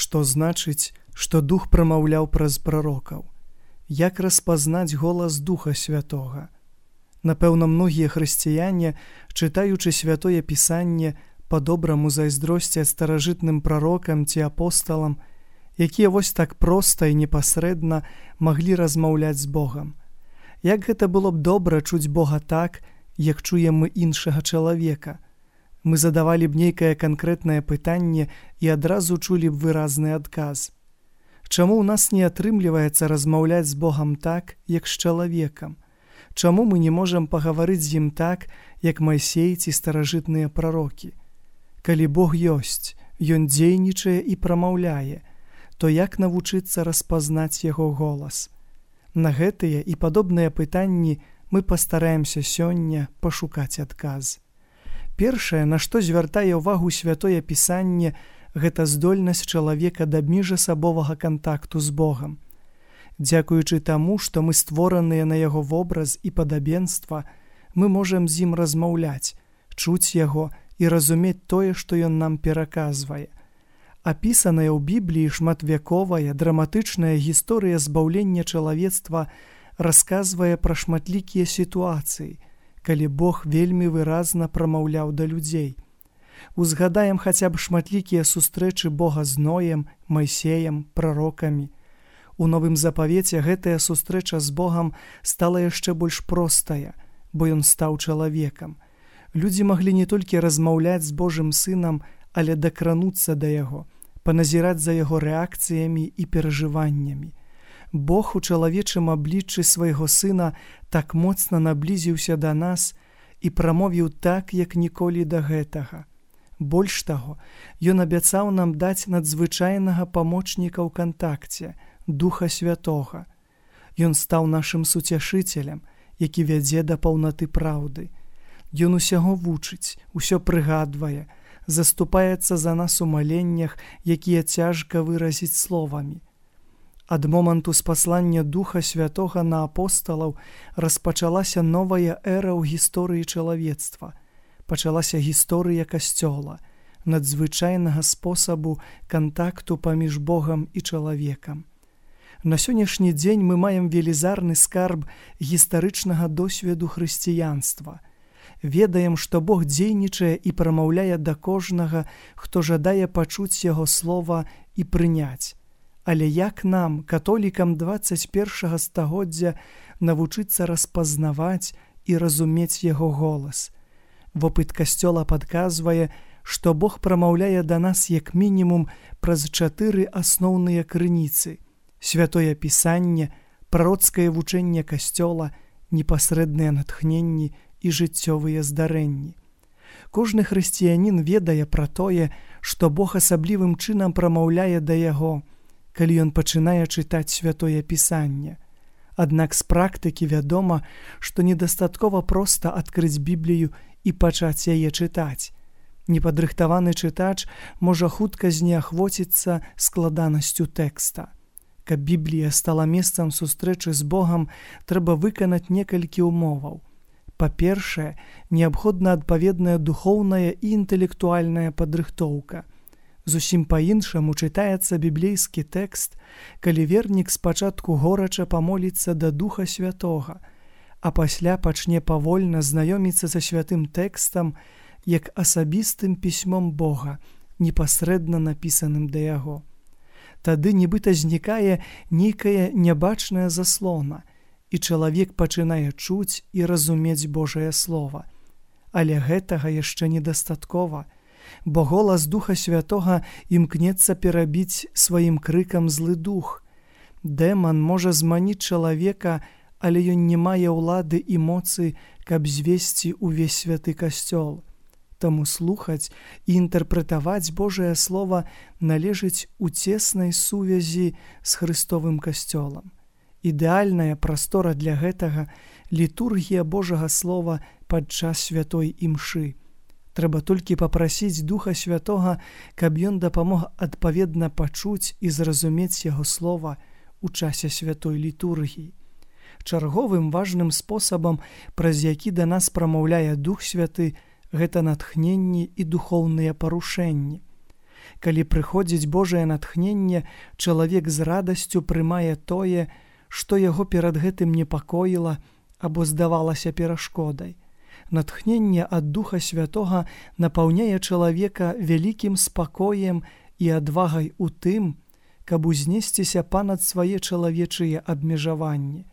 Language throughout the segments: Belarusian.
Што значыць, што Дух прамаўляў праз прарокаў? Як распазнаць голас Духа Святога? Напэўна, многія хрысціяне, чытаючы Святое Пісанне, па-добраму зайздросцяць старажытным прарокам ці апосталам, якія вось так проста і непасрэдна маглі размаўляць з Богам. Як гэта было б добра чуць Бога так, як чуем мы іншага чалавека. Мы задавалі б нейкае канкрэтнае пытанне і адразу чулі б выразны адказ. Чаму ў нас не атрымліваецца размаўляць з Богам так, як з чалавекам? Чаму мы не можам пагаварыць з ім так, як Майсей ці старажытныя прарокі? Калі Бог ёсць, Ён дзейнічае і прамаўляе, то як навучыцца распазнаць Яго голас? На гэтыя і падобныя пытанні мы пастараемся сёння пашукаць адказ. Першае, на што звяртае ўвагу Святое Пісанне, гэта здольнасць чалавека да міжасабовага кантакту з Богам. Дзякуючы таму, што мы створаныя на Яго вобраз і падабенства, мы можам з ім размаўляць, чуць Яго і разумець тое, што Ён нам пераказвае. Апісаная ў Бібліі шматвяковая, драматычная гісторыя збаўлення чалавецтва расказвае пра шматлікія сітуацыі, калі Бог вельмі выразна прамаўляў да людзей. Узгадаем хаця б шматлікія сустрэчы Бога з Ноем, Майсеем, прарокамі. У Новым Запавеце гэтая сустрэча з Богам стала яшчэ больш простая, бо Ён стаў чалавекам. Людзі маглі не толькі размаўляць з Божым Сынам, але дакрануцца да Яго, паназіраць за Яго рэакцыямі і перажываннямі. Бог у чалавечым абліччы свайго Сына так моцна наблізіўся да нас і прамовіў так, як ніколі да гэтага. Больш таго, Ён абяцаў нам даць надзвычайнага памочніка ў кантакце, Духа Святога. Ён стаў нашым суцяшыцелем, які вядзе да паўнаты праўды. Ён усяго вучыць, усё прыгадвае, заступаецца за нас у маленнях, якія цяжка выразіць словамі. Ад моманту спаслання Духа Святога на апосталаў распачалася новая эра ў гісторыі чалавецтва. Пачалася гісторыя Касцёла, надзвычайнага спосабу кантакту паміж Богам і чалавекам. На сённяшні дзень мы маем велізарны скарб гістарычнага досведу хрысціянства. Ведаем, што Бог дзейнічае і прамаўляе да кожнага, хто жадае пачуць Яго слова і прыняць. Але як нам, католікам 21 стагоддзя, навучыцца распазнаваць і разумець Яго голас? Вопыт Касцёла падказвае, што Бог прамаўляе да нас як мінімум праз 4 асноўныя крыніцы: Святое Пісанне, прароцкае вучэнне Касцёла, непасрэдныя натхненні і жыццёвыя здарэнні. Кожны хрысціянін ведае пра тое, што Бог асаблівым чынам прамаўляе да яго, калі ён пачынае чытаць Святое Пісанне. Аднак з практыкі вядома, што недастаткова проста адкрыць Біблію і пачаць яе чытаць. Непадрыхтаваны чытач можа хутка знеахвоціцца складанасцю тэкста. Каб Біблія стала месцам сустрэчы з Богам, трэба выканаць некалькі ўмоваў. Па-першае, неабходна адпаведная духоўная і інтэлектуальная падрыхтоўка. Зусім па-іншаму чытаецца біблейскі тэкст, калі вернік спачатку горача памоліцца да Духа Святога, а пасля пачне павольна знаёміцца са святым тэкстам як асабістым пісьмом Бога, непасрэдна напісаным да яго. Тады нібыта знікае нейкая нябачная заслона, і чалавек пачынае чуць і разумець Божае Слова. Але гэтага яшчэ недастаткова, бо голас Духа Святога імкнецца перабіць сваім крыкам злы дух. Дэман можа зманіць чалавека, але ён не мае ўлады і моцы, каб звесці ўвесь святы касцёл. Таму слухаць і інтэрпрэтаваць Божае Слова належыць у цеснай сувязі з Хрыстовым касцёлам. Ідэальная прастора для гэтага – літургія Божага Слова падчас святой імшы. Трэба толькі папрасіць Духа Святога, каб ён дапамог адпаведна пачуць і зразумець яго слова ў часе святой літургіі. Чарговым важным спосабам, праз які да нас прамаўляе Дух Святы, гэта натхненні і духоўныя парушэнні. Калі прыходзіць Божае натхненне, чалавек з радасцю прымае тое, што яго перад гэтым непакоіла або здавалася перашкодай. Натхненне ад Духа Святога напаўняе чалавека вялікім спакоем і адвагай у тым, каб узнесціся панад свае чалавечыя абмежаванні.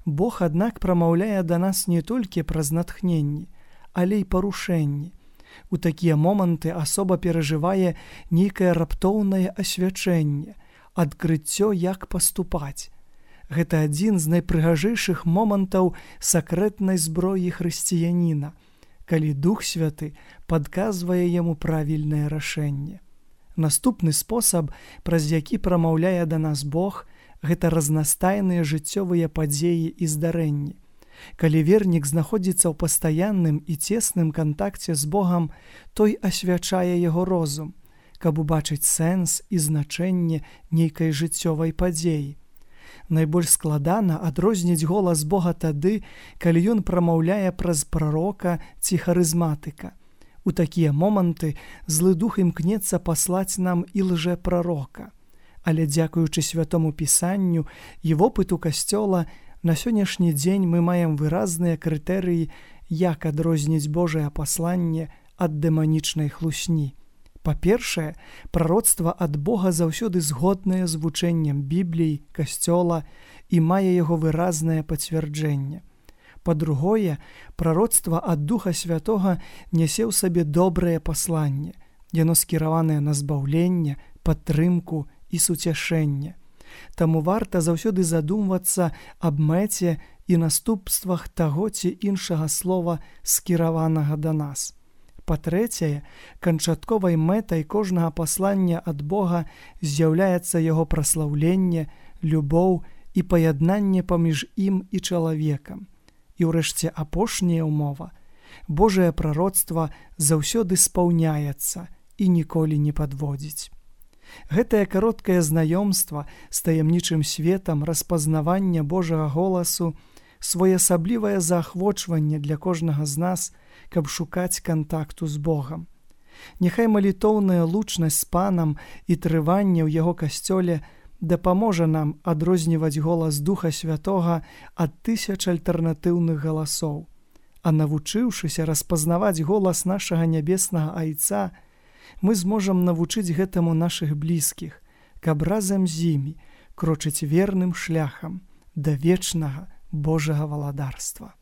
Бог, аднак, прамаўляе да нас не толькі праз натхненні, але і парушэнні. У такія моманты асоба перажывае нейкае раптоўнае асвячэнне, адкрыццё, як паступаць. Гэта адзін з найпрыгажэйшых момантаў сакрэтнай зброі хрысціяніна, калі Дух Святы падказвае яму правільнае рашэнне. Наступны спосаб, праз які прамаўляе да нас Бог, гэта разнастайныя жыццёвыя падзеі і здарэнні. Калі вернік знаходзіцца ў пастаянным і цесным кантакце з Богам, той асвячае яго розум, каб убачыць сэнс і значэнне нейкай жыццёвай падзеі. Найбольш складана адрозніць голас Бога тады, калі ён прамаўляе праз прарока ці харызматыка. У такія моманты злы дух імкнецца паслаць нам і лжэпрарока. Але дзякуючы Святому Пісанню і вопыту Касцёла, на сённяшні дзень мы маем выразныя крытэрыі, як адрозніць Божае пасланне ад дэманічнай хлусні. Па-першае, прароцтва ад Бога заўсёды згоднае з вучэннем Бібліі, Касцёла і мае яго выразнае пацвярджэнне. Па-другое, прароцтва ад Духа Святога нясе ў сабе добрае пасланне. Яно скіраванае на збаўленне, падтрымку і суцяшэнне. Таму варта заўсёды задумвацца аб мэце і наступствах таго ці іншага слова, скіраванага да нас. Па-трэцяе, канчатковай мэтай кожнага паслання ад Бога з'яўляецца яго праслаўленне, любоў і паяднанне паміж ім і чалавекам. І ўрэшце апошняя ўмова. Божае прароцтва заўсёды спаўняецца і ніколі не падводзіць. Гэтае кароткае знаёмства з таямнічым светам распазнавання Божага голасу, своеасаблівае заахвочванне для кожнага з нас, каб шукаць кантакту з Богам. Няхай малітоўная лучнасць з Панам і трыванне ў яго касцёле дапаможа нам адрозніваць голас Духа Святога ад тысяч альтэрнатыўных галасоў. А навучыўшыся распазнаваць голас нашага нябеснага Айца, мы зможам навучыць гэтаму нашых блізкіх, каб разам з імі крочыць верным шляхам да вечнага Божага валадарства.